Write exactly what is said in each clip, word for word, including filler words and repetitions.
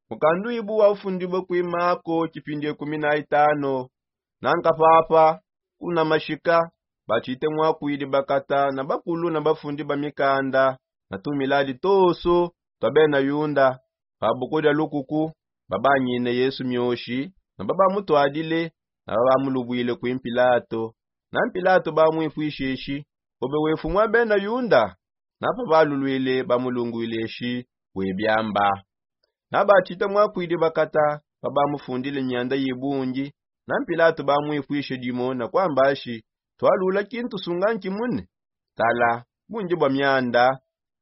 Mukanduibu wa ufundibue kuimako tshipindi ekumi na itano. Nanka papa kuna mashika batshite mwakuidi bakata na bakulu na bafundi ba mikanda na tumiladi toso twa bena yunda. Pa buku dia lukuku babanyine yesu mioshi na babamutuadile na babamulubuile kui mpilato. Na mpilato bamuipuisheshi, obe wefu mwa bena yunda? Na pabalulwile bamulungwileshi, webiamba. Na batshita mwakwidi bakata babamufundile mianda yibungi. Na mpilato bamuipuishe dimo na kwambashi, twalula kintu sunga nkimune? Tala, bungi bwa mianda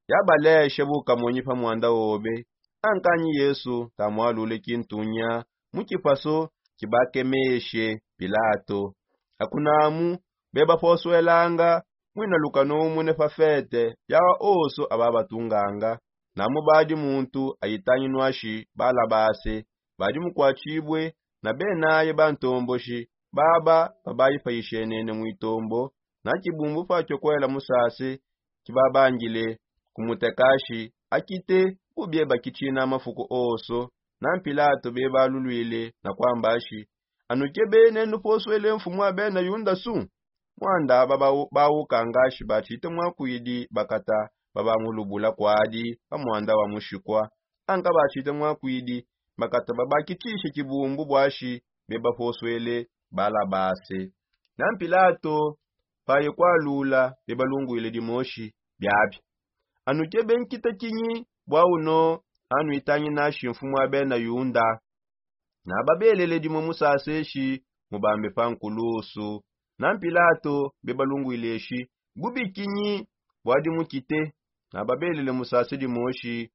yabaleshe bukamonyi pa mwanda wobe. Ankanyi yesu tamwalule kintunya mu kipaso kibakemeshe pilato. Akunamu bebaposwelanga mwina lukano umune pa fete yawa oso ababatunganga. Namu badi muntu ayitanginwashi balabase badi mukwatshibue na benaye bantomboshi baba babayipayishenene mu itombo. Na tshibumbu patshiokwela musase tshibabangile kumutekashi akite bubie bakitshina mafuku oso. Na mpilato bebalulwile na kwambashi, anukebene nuposwele mfumu wa bena yunda su? Mwanda bawukangashi batshite mwakwidi bakata babamulubula kwadi pa mwanda wa mushikwa. Anka batshite mwakwidi bakata babakitshishe tshibumbu bwashi bebaposwele balabase. Na mpilato paye kwalula bebalungwiledi moshi, biabi anukebe nkita kinyi bwa uno anuitanginashi mfumu wa bena yunda? Na babelele dimo musaseshi mubambe pa nkulusu. Na mpilato bebalungwileshi, bubi kinyi bwadi mukite? Na babelele musase dimoshi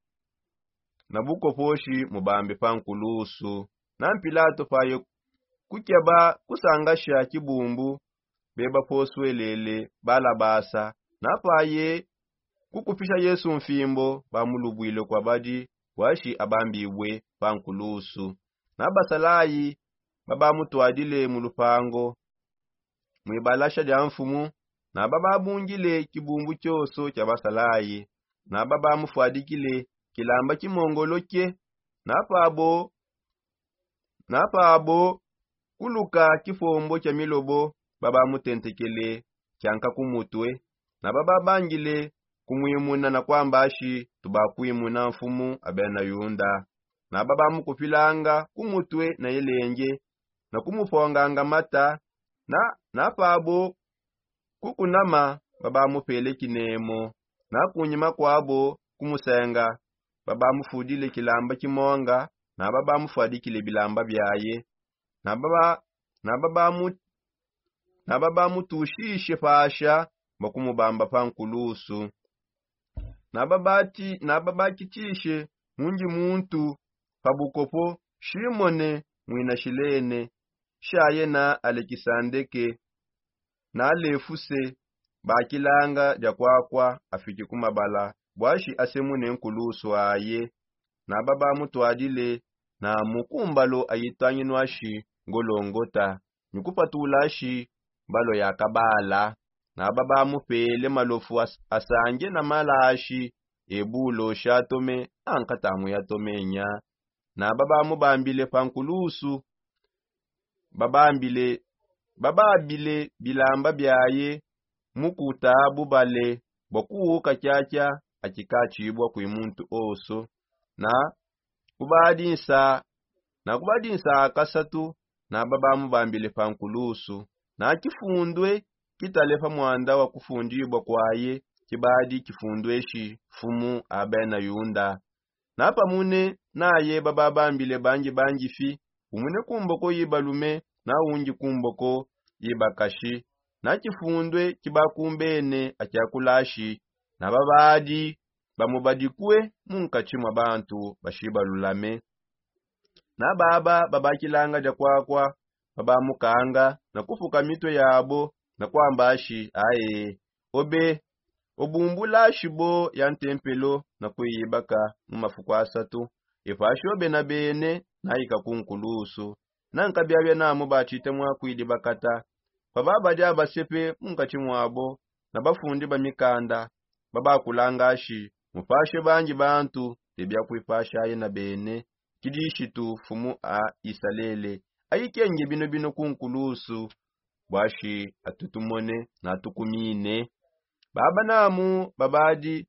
na bukoposhi mubambe pa nkulusu. Na mpilato paye kukeba kusangasha kibumbu bebaposwelele balabasa. Na paye kukupisha yesu mfimbo bamulubwile kwa badi bwashi abambibue pa nkulusu. Na basalayi babamutwadile mu lupango mwibalasha dia mfumu. Na bababungile kibumbu kioso kia basalayi. Na babamufwadikile kilamba kimongoloke. Na pabo na pabo kuluka kipombo kia milobo babamutentekele kianka ku mutue. Na bababangile kumwimuna na kwambashi, tubakwimuna mfumu a bena yunda. Na babamukupilanga ku mutue na elenge na kumuponganga mata. Na na pabo kukunama babamupele kinemo. Na kunyima kwabo kumusenga babamufudile kilamba kimonga. Na babamufwadikile bilamba biaye. Na baba na babamu na babamutushishe pasha bakumubamba pa nkulusu. Na babati na babakitishe mungi muntu pa bukopo, shimone mwina shilene shaye na alekisandeke na lefuse bakilanga dia kwakwa afiki ku mabala bwashi asemune nkulusu aye. Na babamutwadile na mukumbalo ayitanginwashi ngolongota ni kupatulashi mbalo ya kabala. Na babamupele malofu asange na malashi ebulo shatome ankatamu yatomenya. Na babamubambile pa nkulusu babambile bababile bilamba biaye mukuta bubale bwa kuwuka kyakya akikatshibwa kwi muntu oso. Na kubadinsa na kubadinsa akasatu na babamubambile pa nkulusu. Na kifundwe kitale pa mwanda wa kufundibwa kwaye kibadi kifundweshi mfumu a bena yunda. Na pamune naye bababambile bangi bangi fi, umune ku mboko yi balume na ungi ku mboko yi bakashi. Na kifundwe kibakumbene akyakulashi na babadi bamubadikue mu nkatshi mwa bantu bashibalulame. Na baba babakilanga dia kwakwa babamukanga na kufuka mitue yabo na kwambashi aye, obe obumbulashi bo ya ntempelo na kuiyibaka mu mafuku asatu. Epashi obe na bene naika ku nkulusu. Na nkabiabia namu batshite mwakwidi bakata pa babadi abasepe mu nkatshi mwabo na bafundi ba mikanda babakulangashi mupashe bangi bantu te biakwipashaye na bene. Kidishitu fumu a isalele. Ayikenge bino bino ku nkulusu bwashi atutumone na atukumine. Baba namu babadi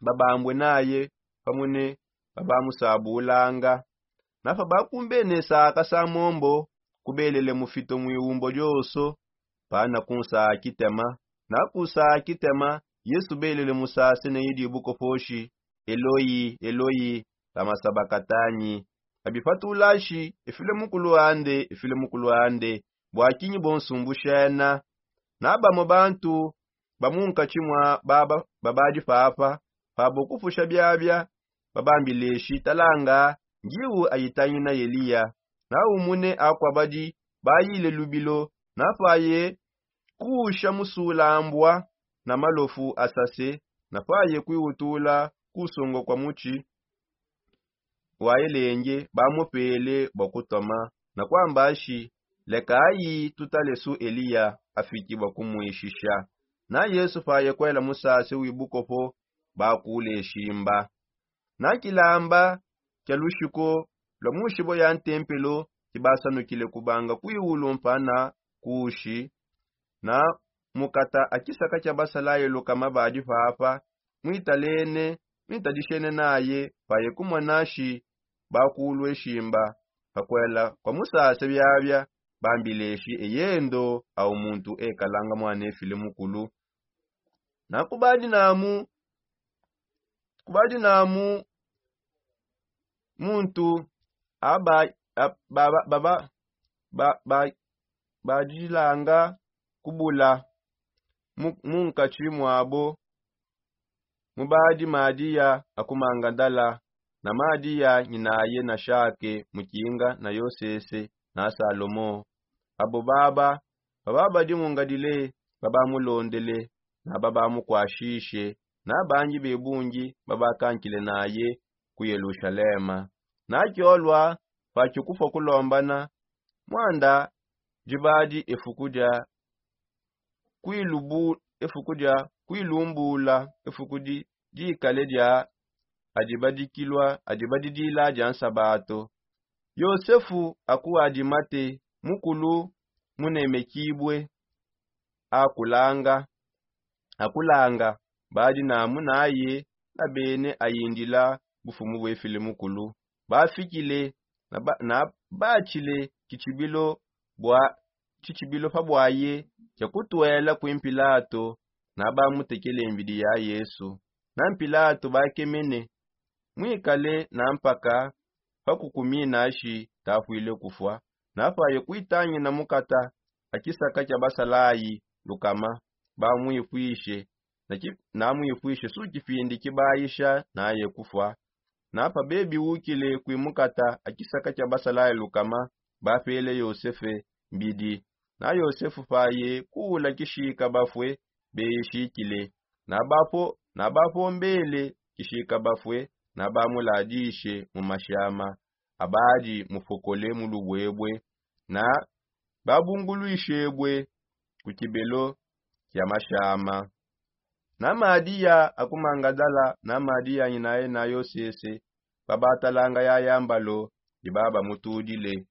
babambwe naye pamune babamusabulanga. Nafa bakumbene saka sa mombo kubelele mufito mwiwumbo dioso pana kunsa kitema. Na kusa kitema yesu belele musase ne idi bukoposhi, eloi eloi, lama sabakatanyi? Abipatulashi efile mukulu ande efile mukulu ande. Bwakinyi bonsumbushena? Na bamo bantu ba mu nkatshi mua baba babadi papa pabo kupusha biabia babambileshi talanga, ngiwu ayitangina eliya. Na umune akua badi bayile lubilo na paye kuusha musulambua na malofu asase na paye kwiwutula kusongo kua mutshi wa elenge bamupele bua kutoma na kuamba ashi, lekayi tutalesu eliya afiki bua kumuishisha. Na yesu paye kuela musase wibukopo bakule shimba. Na kilamba kia lushiko lua mu nshibo ya ntempelo kibasanukile kubanga kwiulu mpana kushi. Na mukata a kisaka kia basalaye lukama badi papa muitalene muitadishene naye paye kumona shi bakulue shimba. Pakuela kua musase biabia bambileshi eyendo au muntu ekalanga muana efile mukulu. Na kubadi namu kubadi namu muntu aba baba baba ba- badilanga kubula mu- munkatshi muabo. Mubadi madiya a ku mangadala na madiya nyinaye na shake mukinga na yosese na salomo. Abo baba baba badi mungadile babamulondele na babamukuashishe na bangi bebungi babakankile naye ku yelushalema. Na kiolua pa kikufua kulombana muanda dibadi efuku dia kuilubu efuku dia kuilumbula efuku di dikale dia adibadikilua adibadidila dia nsabato. Yosefu aku adimate mukulu munemekibue akulanga akulanga badi namu naye na bene ayindila bufumu buefile mukulu. Bafikile na ba- na batshile tshitshibilo bua tshitshibilo pa buaye tshia kutuela kui mpilato. Na bamutekele mbidi ya yesu na mpilato bakemene muikale na mpaka pa kukumina ashi tapuile kufua. Na paye kuitangina mukata a kisaka kia basalayi lukama bamuipuishe na muipuishe su kipindi kibayisha naye kufua. Na pa bebiwukile kui mukata a kisaka kia basalayi lukama bapele yosefe mbidi. Na yosefu paye kuula kishika bafue beyishikile na bapo na bapombele kishika bafue na bamuladishe mu mashama abadi mupokole mu lubuebue na babunguluishebue ku kibelo kia mashama. Na madiya a ku mangadala na madiya anyinaye na yosese babatalanga yaya mbalo dibabamutudile.